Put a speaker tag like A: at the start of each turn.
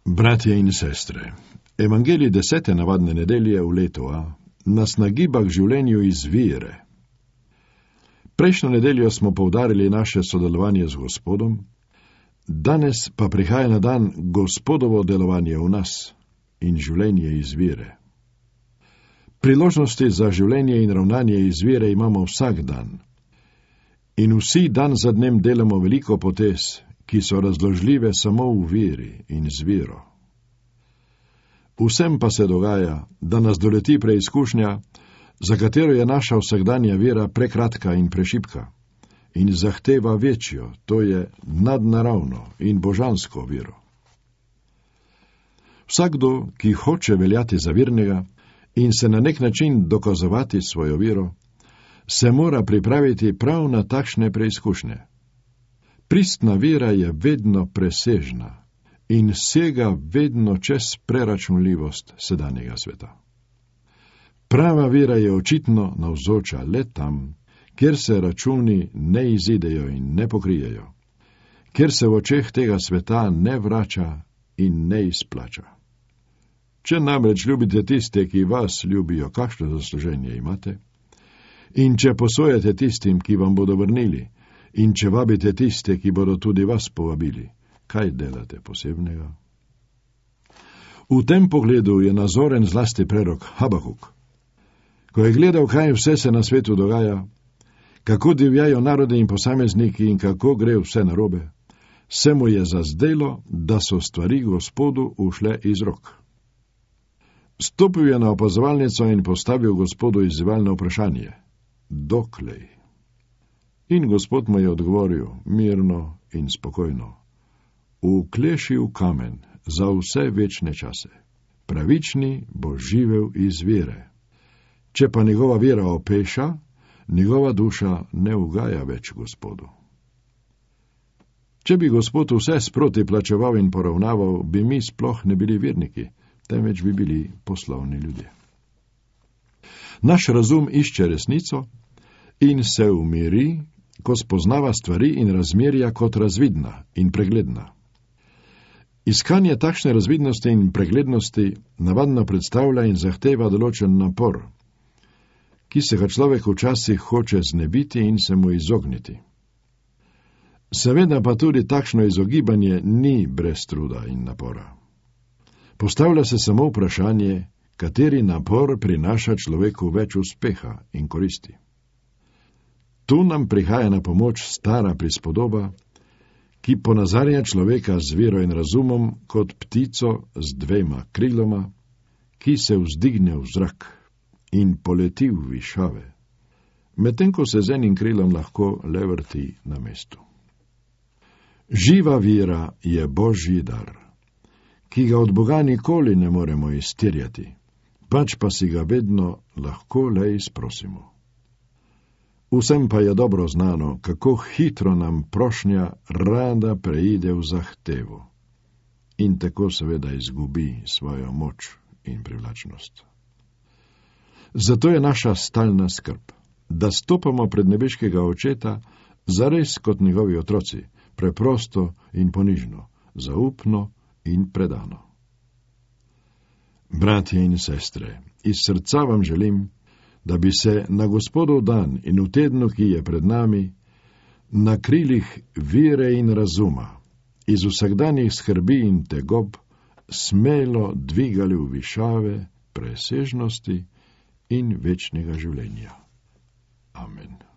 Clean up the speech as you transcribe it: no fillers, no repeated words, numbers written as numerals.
A: Bratje in sestre, Evangelij 10. navadne nedelje v letu A nas nagiba k življenju iz vere. Prejšnjo nedeljo smo poudarili naše sodelovanje z Gospodom, danes pa prihaja na dan Gospodovo delovanje v nas in življenje iz vere. Priložnosti za življenje in ravnanje iz vere imamo vsak dan. In vsi dan za dnem delamo veliko potez, ki so razložljive samo v veri in z vero. Vsem pa se dogaja, da nas doleti preizkušnja, za katero je naša vsakdanja vera prekratka in prešibka in zahteva večjo, to je nadnaravno in božansko vero. Vsakdo, ki hoče veljati za vernega in se na nek način dokazovati svojo vero, se mora pripraviti prav na takšne preizkušnje. Pristna vera je vedno presežna in sega vedno čez preračunljivost sedanjega sveta. Prava vera je očitno navzoča le tam, kjer se računi ne izidejo in ne pokrijejo, kjer se v očeh tega sveta ne vrača in ne izplača. Če namreč ljubite tiste, ki vas ljubijo, kakšno zasluženje imate? In če posojate tistim, ki vam bodo vrnili, in če vabite tiste, ki bodo tudi vas povabili, kaj delate posebnega? V tem pogledu je nazoren zlasti prerok Habakuk. Ko je gledal, kaj vse se na svetu dogaja, kako divjajo narodi in posamezniki in kako gre vse narobe, se mu je zazdelo, da so stvari Gospodu ušle iz rok. Stopil je na opazovalnico in postavil Gospodu izzivalno vprašanje: doklej? In Gospod mu je odgovoril mirno in spokojno: vkleši v kamen za vse večne čase. Pravični bo živel iz vere. Če pa njegova vera opeša, njegova duša ne ugaja več Gospodu. Če bi Gospod vse sproti plačeval in poravnaval, bi mi sploh ne bili verniki, temveč bi bili poslovni ljudje. Naš razum išče resnico in se umiri, ko spoznava stvari in razmerja kot razvidna in pregledna. Iskanje takšne razvidnosti in preglednosti navadno predstavlja in zahteva določen napor, ki se ga človek včasih hoče znebiti in se mu izogniti. Seveda pa tudi takšno izogibanje ni brez truda in napora. Postavlja se samo vprašanje, kateri napor prinaša človeku več uspeha in koristi. Tu nam prihaja na pomoč stara prispodoba, ki ponazarja človeka z vero in razumom kot ptico z 2 kriloma, ki se vzdigne v zrak in poleti v višave, medtem ko se z enim krilom lahko le vrti na mestu. Živa vera je Božji dar, ki ga od Boga nikoli ne moremo izterjati, pač pa si ga vedno lahko le izprosimo. Vsem pa je dobro znano, kako hitro nam prošnja rada preide v zahtevo in tako seveda izgubi svojo moč in privlačnost. Zato je naša stalna skrb, da stopamo pred nebeškega Očeta zares kot njegovi otroci, preprosto in ponižno, zaupno in predano. Bratje in sestre, iz srca vam želim, da bi se na Gospodov dan in v tednu, ki je pred nami, na krilih vere in razuma, iz vsakdanjih skrbi in tegob, smelo dvigali v višave, presežnosti in večnega življenja. Amen.